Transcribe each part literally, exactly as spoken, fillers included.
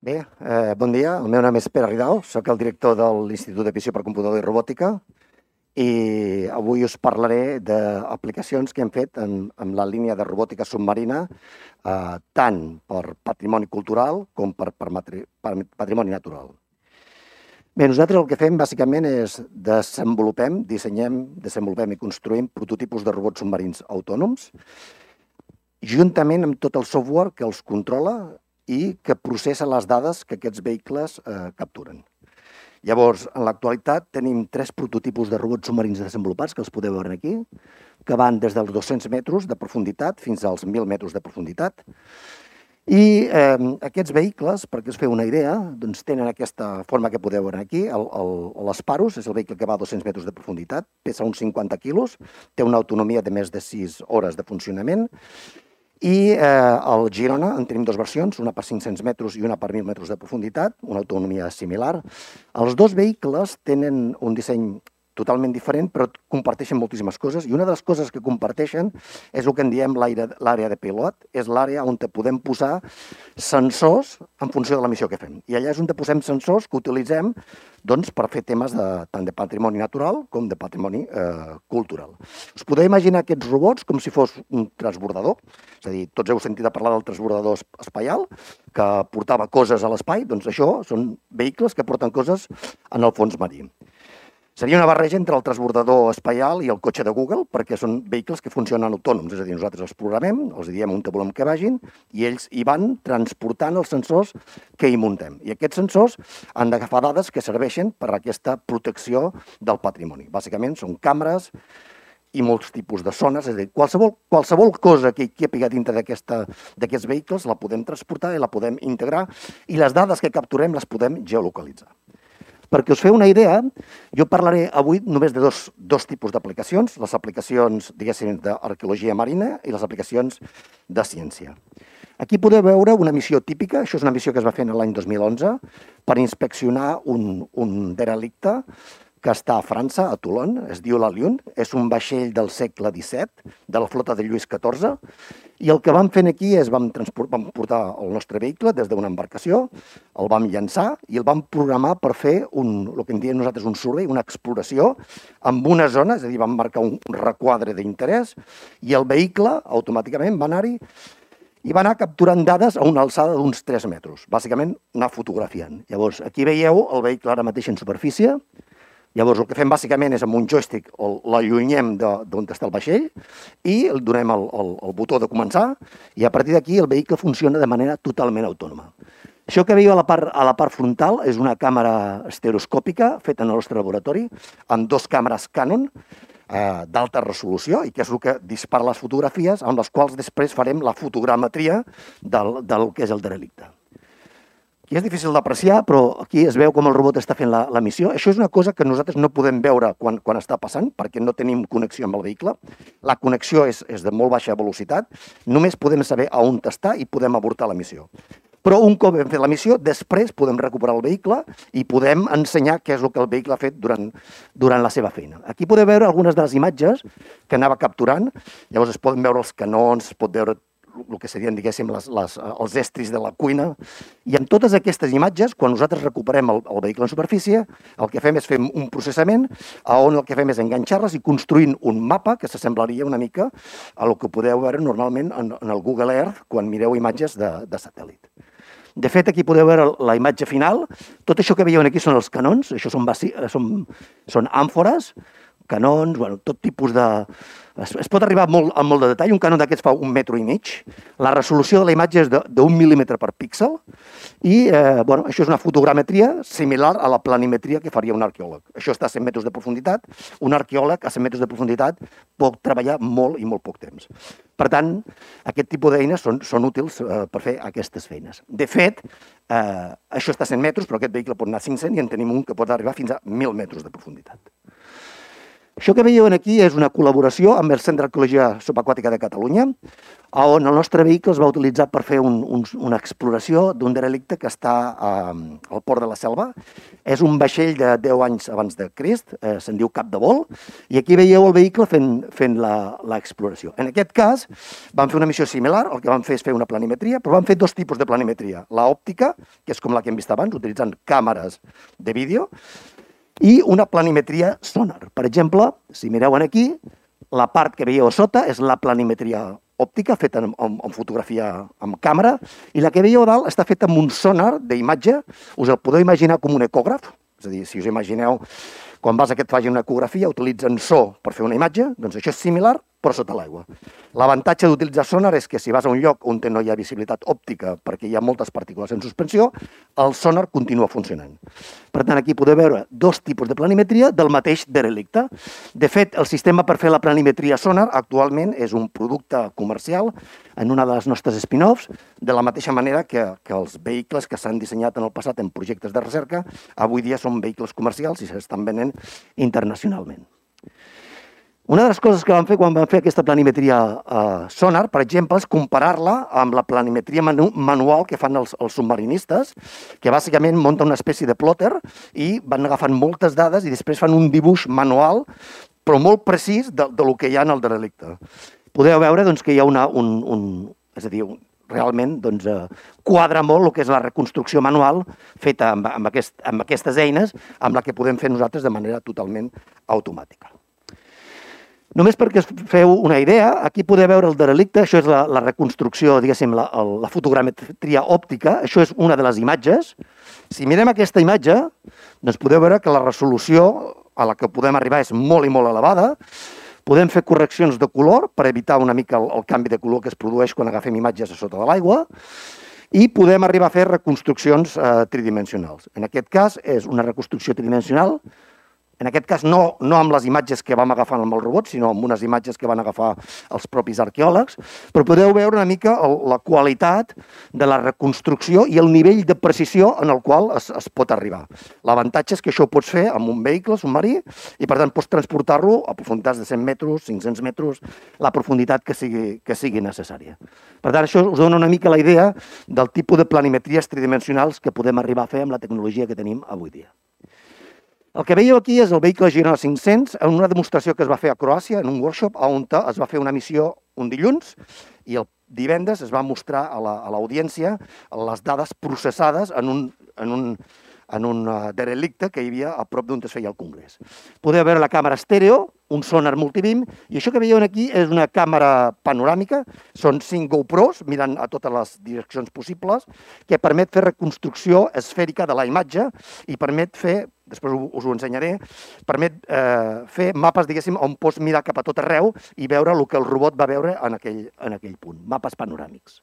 Bé, eh, bon dia. El meu nom és Pere Ridao, soc el director de l'Institut de Visió per Computador i Robòtica i avui us parlaré d'aplicacions que hem fet en, en la línia de robòtica submarina, eh, tant per patrimoni cultural com per, per, matri, per patrimoni natural. Bé, nosaltres el que fem bàsicament és desenvolupem, dissenyem, desenvolupem i construïm prototipus de robots submarins autònoms, juntament amb tot el software que els controla i que processa les dades que aquests vehicles eh, capturen. Llavors, en l'actualitat tenim tres prototipus de robots submarins desenvolupats, que els podeu veure aquí, que van des dels dos-cents metres de profunditat fins als mil metres de profunditat. I eh, aquests vehicles, perquè us feu una idea, doncs tenen aquesta forma que podeu veure aquí. L'Sparus és el vehicle que va a dos-cents metres de profunditat, pesa uns cinquanta quilos, té una autonomia de més de sis hores de funcionament. I eh, el Girona en tenim dues versions, una per cinc-cents metres i una per mil metres de profunditat, una autonomia similar. Els dos vehicles tenen un disseny totalment diferent, però comparteixen moltíssimes coses, i una de les coses que comparteixen és el que en diem l'àrea de pilot, és l'àrea on podem posar sensors en funció de la missió que fem. I allà és on posem sensors que utilitzem doncs, per fer temes de, tant de patrimoni natural com de patrimoni eh, cultural. Us podeu imaginar aquests robots com si fos un transbordador, és a dir, tots heu sentit a parlar del transbordador espaial, que portava coses a l'espai, doncs això són vehicles que porten coses en el fons marí. Seria una barreja entre el transbordador espaial i el cotxe de Google, perquè són vehicles que funcionen autònoms, és a dir, nosaltres els programem, els diem on volem que vagin, i ells hi van transportant els sensors que hi muntem. I aquests sensors han d'agafar dades que serveixen per a aquesta protecció del patrimoni. Bàsicament són càmeres i molts tipus de zones, és a dir, qualsevol, qualsevol cosa que hi ha dintre d'aquests vehicles la podem transportar i la podem integrar, i les dades que capturem les podem geolocalitzar. Perquè us feu una idea, jo parlaré avui només de dos, dos tipus d'aplicacions, les aplicacions, diguéssim, d'arqueologia marina i les aplicacions de ciència. Aquí podeu veure una missió típica, això és una missió que es va fer l'any dos mil onze, per inspeccionar un, un derelicte que està a França, a Toulon, es diu la Lune, és un vaixell del segle disset, de la flota de Lluís catorze, i el que vam fer aquí és vam, vam portar el nostre vehicle des d'una embarcació, el vam llançar i el vam programar per fer un, el que en diem nosaltres un survey, una exploració, amb una zona, és a dir, vam marcar un requadre d'interès, i el vehicle automàticament va anar-hi i va anar capturant dades a una alçada d'uns tres metres, bàsicament anar fotografiant. Llavors, aquí veieu el vehicle ara mateix en superfície. Llavors, el que fem bàsicament és amb un joystick l'allunyem d'on està el vaixell i el donem el, el, el botó de començar, i a partir d'aquí el vehicle funciona de manera totalment autònoma. Això que veieu a la part, a la part frontal és una càmera estereoscòpica feta en el nostre laboratori amb dos càmeres Canon eh, d'alta resolució, i que és el que dispara les fotografies amb les quals després farem la fotogrametria del, del que és el derelicte. I és difícil d'apreciar, però aquí es veu com el robot està fent la, la missió. Això és una cosa que nosaltres no podem veure quan, quan està passant, perquè no tenim connexió amb el vehicle. La connexió és, és de molt baixa velocitat. Només podem saber a on està i podem avortar la missió. Però un cop hem fet la missió, després podem recuperar el vehicle i podem ensenyar què és el que el vehicle ha fet durant, durant la seva feina. Aquí podeu veure algunes de les imatges que anava capturant. Llavors es poden veure els canons, es pot veure el que serien, diguéssim, les, les, els estris de la cuina. I amb totes aquestes imatges, quan nosaltres recuperem el, el vehicle en superfície, el que fem és fer un processament on el que fem és enganxar-les i construint un mapa que s'assemblaria una mica a el que podeu veure normalment en, en el Google Earth quan mireu imatges de, de satèl·lit. De fet, aquí podeu veure la imatge final. Tot això que veieu aquí són els canons, això són, són, són àmfores, canons, bueno, tot tipus de... Es, es pot arribar molt, a molt de detall. Un canon d'aquests fa un metro i mig. La resolució de la imatge és d'un mil·límetre per píxel. I, eh, bueno, això és una fotogrametria similar a la planimetria que faria un arqueòleg. Això està a cent metres de profunditat. Un arqueòleg a cent metres de profunditat pot treballar molt i molt poc temps. Per tant, aquest tipus d'eines són, són útils eh, per fer aquestes feines. De fet, eh, això està a cent metres, però aquest vehicle pot anar a cinc-cents i en tenim un que pot arribar fins a mil metres de profunditat. Això que veieu aquí és una col·laboració amb el Centre d'Arqueologia Subaquàtica de Catalunya, on el nostre vehicle es va utilitzar per fer un, un, una exploració d'un derelicte que està eh, al Port de la Selva. És un vaixell de deu anys abans de Crist, eh, se'n diu Cap de Vol, i aquí veieu el vehicle fent, fent l'exploració. En aquest cas, vam fer una missió similar, el que vam fer és fer una planimetria, però vam fer dos tipus de planimetria. La òptica, que és com la que hem vist abans, utilitzant càmeres de vídeo, i una planimetria sonar. Per exemple, si mireu aquí, la part que veieu a sota és la planimetria òptica feta amb, amb, amb fotografia amb càmera, i la que veieu a dalt està feta amb un sonar d'imatge. Us el podeu imaginar com un ecògraf, és a dir, si us imagineu quan vas a que et facin una ecografia utilitzen so per fer una imatge, doncs això és similar però sota l'aigua. L'avantatge d'utilitzar sonar és que si vas a un lloc on no hi ha visibilitat òptica perquè hi ha moltes partícules en suspensió, el sonar continua funcionant. Per tant, aquí podeu veure dos tipus de planimetria del mateix derelicte. De fet, el sistema per fer la planimetria sonar actualment és un producte comercial en una de les nostres spin-offs, de la mateixa manera que, que els vehicles que s'han dissenyat en el passat en projectes de recerca, avui dia són vehicles comercials i s'estan venent internacionalment. Una de les coses que vam fer quan vam fer aquesta planimetria eh, sonar, per exemple, és comparar-la amb la planimetria manu manual que fan els, els submarinistes, que bàsicament munten una espècie de plotter i van agafant moltes dades i després fan un dibuix manual, però molt precís de, de lo que hi ha en el derelicte. Podeu veure doncs, que hi ha una, un, un, és a dir, un, realment doncs, eh, quadra molt el que és la reconstrucció manual feta amb, amb, aquest, amb aquestes eines, amb la que podem fer nosaltres de manera totalment automàtica. Només perquè us feu una idea, aquí podeu veure el derelicte, això és la, la reconstrucció, diguéssim, la, la fotogrametria òptica, això és una de les imatges. Si mirem aquesta imatge, doncs podeu veure que la resolució a la que podem arribar és molt i molt elevada. Podem fer correccions de color per evitar una mica el, el canvi de color que es produeix quan agafem imatges a sota de l'aigua i podem arribar a fer reconstruccions eh, tridimensionals. En aquest cas és una reconstrucció tridimensional. En aquest cas, no, no amb les imatges que vam agafar amb el robot, sinó amb unes imatges que van agafar els propis arqueòlegs, però podeu veure una mica el, la qualitat de la reconstrucció i el nivell de precisió en el qual es, es pot arribar. L'avantatge és que això ho pots fer amb un vehicle submarí i, per tant, pots transportar-lo a profunditats de cent metres, cinc-cents metres, la profunditat que sigui, que sigui necessària. Per tant, això us dona una mica la idea del tipus de planimetries tridimensionals que podem arribar a fer amb la tecnologia que tenim avui dia. El que veieu aquí és el vehicle Girona cinc-cents, en una demostració que es va fer a Croàcia, en un workshop, on es va fer una missió un dilluns i el divendres es va mostrar a l'audiència les dades processades en un, en un, en un derelicte que hi havia a prop d'on es feia el congrés. Podeu veure la càmera estèreo, un sonar multibim, i això que veieu aquí és una càmera panoràmica, són cinc GoPros mirant a totes les direccions possibles, que permet fer reconstrucció esfèrica de la imatge i permet fer, després us ho ensenyaré, permet eh, fer mapes, diguéssim, on pots mirar cap a tot arreu i veure el que el robot va veure en aquell, en aquell punt, mapes panoràmics.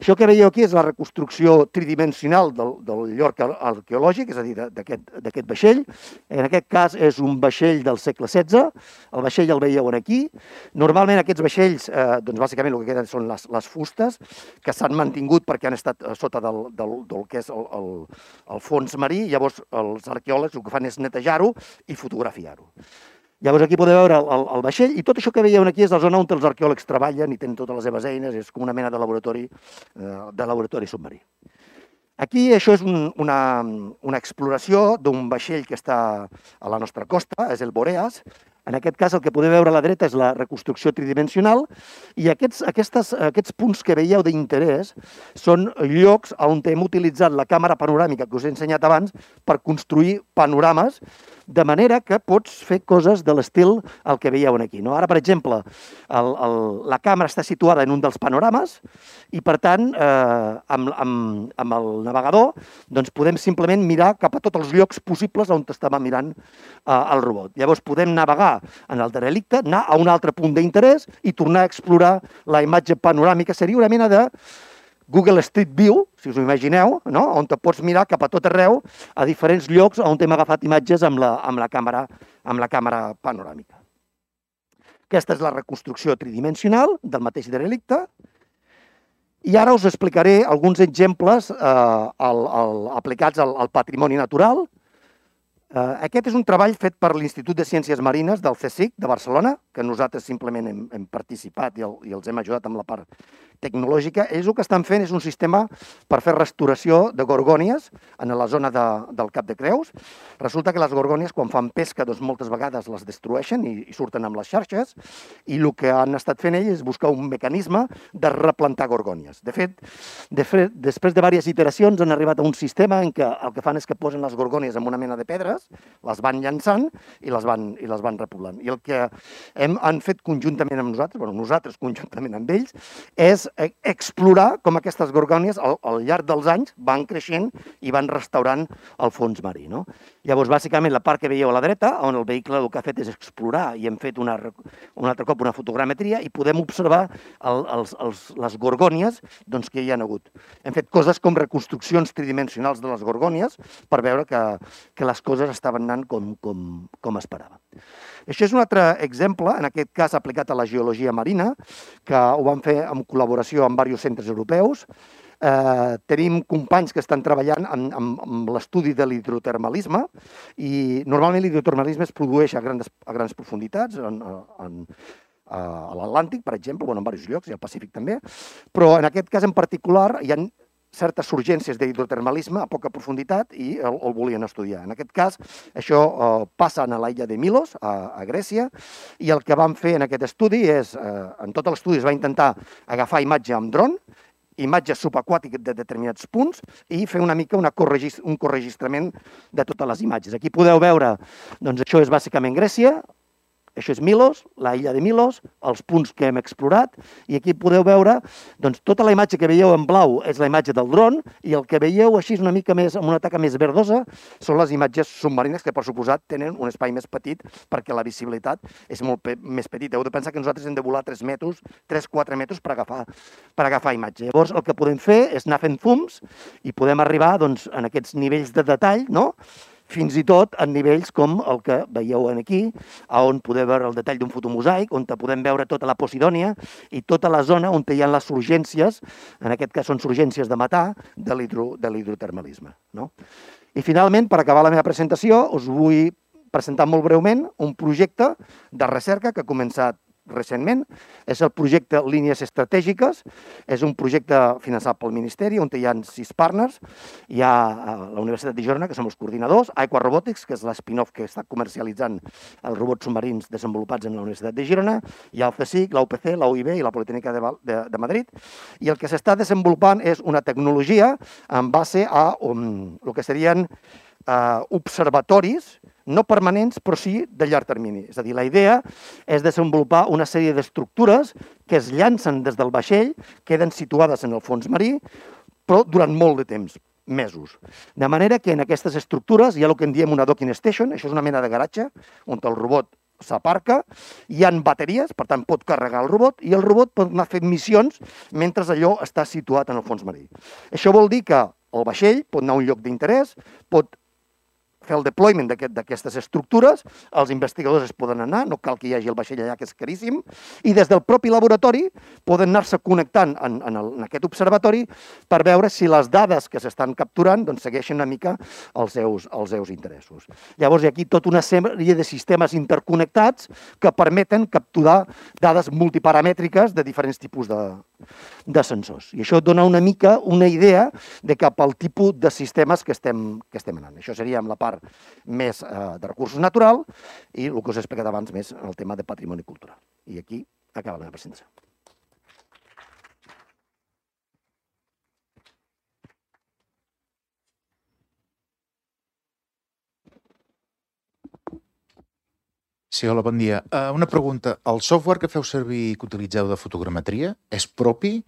Això que veieu aquí és la reconstrucció tridimensional del, del lloc arqueològic, és a dir, d'aquest vaixell. En aquest cas és un vaixell del segle setze, el vaixell el veieu aquí. Normalment aquests vaixells, eh, doncs bàsicament el que queden són les, les fustes, que s'han mantingut perquè han estat sota del, del, del que és el, el, el fons marí, llavors els arqueòlegs el que fan és netejar-ho i fotografiar-ho. Llavors aquí podeu veure el, el, el vaixell i tot això que veieu aquí és la zona on els arqueòlegs treballen i tenen totes les seves eines, és com una mena de laboratori, eh, de laboratori submarí. Aquí això és un, una, una exploració d'un vaixell que està a la nostra costa, és el Boreas. En aquest cas el que podeu veure a la dreta és la reconstrucció tridimensional i aquests, aquestes, aquests punts que veieu d'interès són llocs on hem utilitzat la càmera panoràmica que us he ensenyat abans per construir panorames, de manera que pots fer coses de l'estil el que veieu aquí. No? Ara, per exemple, el, el, la càmera està situada en un dels panorames i, per tant, eh, amb, amb, amb el navegador doncs podem simplement mirar cap a tots els llocs possibles on estava mirant eh, el robot. Llavors podem navegar en el derelicte, anar a un altre punt d'interès i tornar a explorar la imatge panoràmica. Seria una mena de Google Street View, si us ho imagineu, no? On te pots mirar cap a tot arreu, a diferents llocs on hem agafat imatges amb la, amb la, càmera, amb la càmera panoràmica. Aquesta és la reconstrucció tridimensional del mateix derelicte. I ara us explicaré alguns exemples eh, al, al, aplicats al, al patrimoni natural. Aquest és un treball fet per l'Institut de Ciències Marines del CSIC de Barcelona, que nosaltres simplement hem, hem participat i, el, i els hem ajudat amb la part tecnològica. Ells el que estan fent és un sistema per fer restauració de gorgònies en la zona de, del Cap de Creus. Resulta que les gorgònies, quan fan pesca, doncs moltes vegades les destrueixen i, i surten amb les xarxes, i el que han estat fent ells és buscar un mecanisme de replantar gorgònies. De fet, de fet després de diverses iteracions han arribat a un sistema en què el que fan és que posen les gorgònies en una mena de pedres, les van llançant i les van, i les van repoblant. I el que hem, han fet conjuntament amb nosaltres, bueno, nosaltres conjuntament amb ells, és explorar com aquestes gorgònies al, al llarg dels anys van creixent i van restaurant el fons marí. No? Llavors, bàsicament, la part que veieu a la dreta, on el vehicle el que ha fet és explorar i hem fet una, un altre cop una fotogrametria i podem observar el, els, els, les gorgònies doncs, que hi ha hagut. Hem fet coses com reconstruccions tridimensionals de les gorgònies per veure que, que les coses estaven anant com, com, com esperava. Això és un altre exemple, en aquest cas aplicat a la geologia marina, que ho vam fer en col·laboració amb diversos centres europeus. Eh, tenim companys que estan treballant en, en, en l'estudi de l'hidrotermalisme i normalment l'hidrotermalisme es produeix a grans, a grans profunditats, en, en, a l'Atlàntic, per exemple, bueno, en diversos llocs, i al Pacífic també, però en aquest cas en particular hi ha certes urgències d'hidrotermalisme a poca profunditat i el, el volien estudiar. En aquest cas, això eh, passa a l'illa de Milos, a, a Grècia, i el que vam fer en aquest estudi és, eh, en tot l'estudi es va intentar agafar imatge amb dron, imatges subaquàtiques de determinats punts i fer una mica una corregis, un corregistrament de totes les imatges. Aquí podeu veure, doncs això és bàsicament Grècia, això és Milos, la illa de Milos, els punts que hem explorat, i aquí podeu veure doncs, tota la imatge que veieu en blau és la imatge del dron, i el que veieu així una mica més, amb una taca més verdosa, són les imatges submarines que, per suposat, tenen un espai més petit perquè la visibilitat és molt pe més petita. Heu de pensar que nosaltres hem de volar tres metres, tres a quatre metres per agafar, per agafar imatge. Llavors, el que podem fer és anar fent zooms i podem arribar doncs, en aquests nivells de detall, no?, fins i tot en nivells com el que veieu aquí, on podeu veure el detall d'un fotomosaic, on podem veure tota la Posidònia i tota la zona on hi ha les surgències, en aquest cas són surgències de metà, de l'hidrotermalisme. No? I finalment, per acabar la meva presentació, us vull presentar molt breument un projecte de recerca que ha començat recentment. És el projecte Línies Estratègiques. És un projecte finançat pel Ministeri on hi ha sis partners. Hi ha la Universitat de Girona, que som els coordinadors, Aqua Robotics, que és l'spin-off que està comercialitzant els robots submarins desenvolupats en la Universitat de Girona, hi ha el CSIC, la U P C, la U I B i la Politècnica de, de, de Madrid. I el que s'està desenvolupant és una tecnologia en base a um, el que serien uh, observatoris no permanents, però sí de llarg termini. És a dir, la idea és desenvolupar una sèrie d'estructures que es llancen des del vaixell, queden situades en el fons marí, però durant molt de temps, mesos. De manera que en aquestes estructures hi ha el que en diem una docking station, això és una mena de garatge on el robot s'aparca, hi ha bateries, per tant pot carregar el robot, i el robot pot anar fent missions mentre allò està situat en el fons marí. Això vol dir que el vaixell pot anar a un lloc d'interès, pot fer el deployment d'aquestes estructures, els investigadors es poden anar, no cal que hi hagi el vaixell allà, que és caríssim, i des del propi laboratori poden anar-se connectant en, en, el, en aquest observatori per veure si les dades que s'estan capturant doncs, segueixen una mica els seus, els seus interessos. Llavors hi ha aquí tota una sèrie de sistemes interconnectats que permeten capturar dades multiparamètriques de diferents tipus de, de sensors. I això dona una mica una idea de cap al tipus de sistemes que estem, que estem anant. Això seria amb la part més eh, de recursos natural i el que us he explicat abans més el tema de patrimoni cultural. I aquí acaba la meva presentació. Sí, hola, bon dia. Uh, una pregunta. El software que feu servir, que utilitzeu de fotogrametria, és propi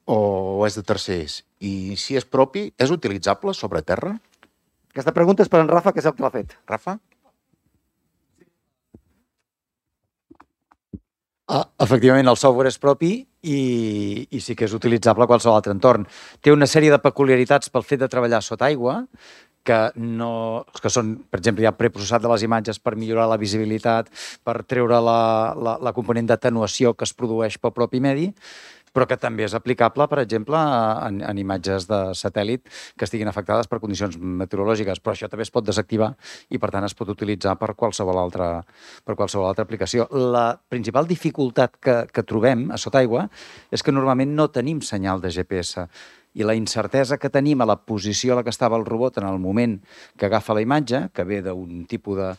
o és de tercers? I si és propi, és utilitzable sobre terra? Aquesta pregunta és per en Rafa, que és el que l'ha fet. Rafa? Ah, efectivament, el software és propi i, i sí que és utilitzable a qualsevol altre entorn. Té una sèrie de peculiaritats pel fet de treballar sota aigua, que, no, que són, per exemple, ja preprocessat de les imatges per millorar la visibilitat, per treure la, la, la component d'atenuació que es produeix pel propi medi, però que també és aplicable, per exemple, en, en imatges de satèl·lit que estiguin afectades per condicions meteorològiques, però això també es pot desactivar i, per tant, es pot utilitzar per qualsevol altra, per qualsevol altra aplicació. La principal dificultat que, que trobem a sota aigua és que normalment no tenim senyal de G P S i la incertesa que tenim a la posició a la que estava el robot en el moment que agafa la imatge, que ve d'un tipus de,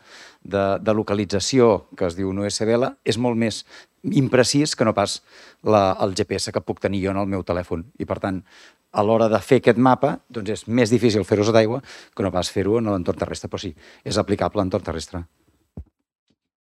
de, de localització que es diu un U S B L, és molt més imprecís que no pas la, el G P S que puc tenir jo en el meu telèfon. I, per tant, a l'hora de fer aquest mapa, doncs és més difícil fer-ho sota aigua que no pas fer-ho en l'entorn terrestre, però sí, és aplicable a l'entorn terrestre.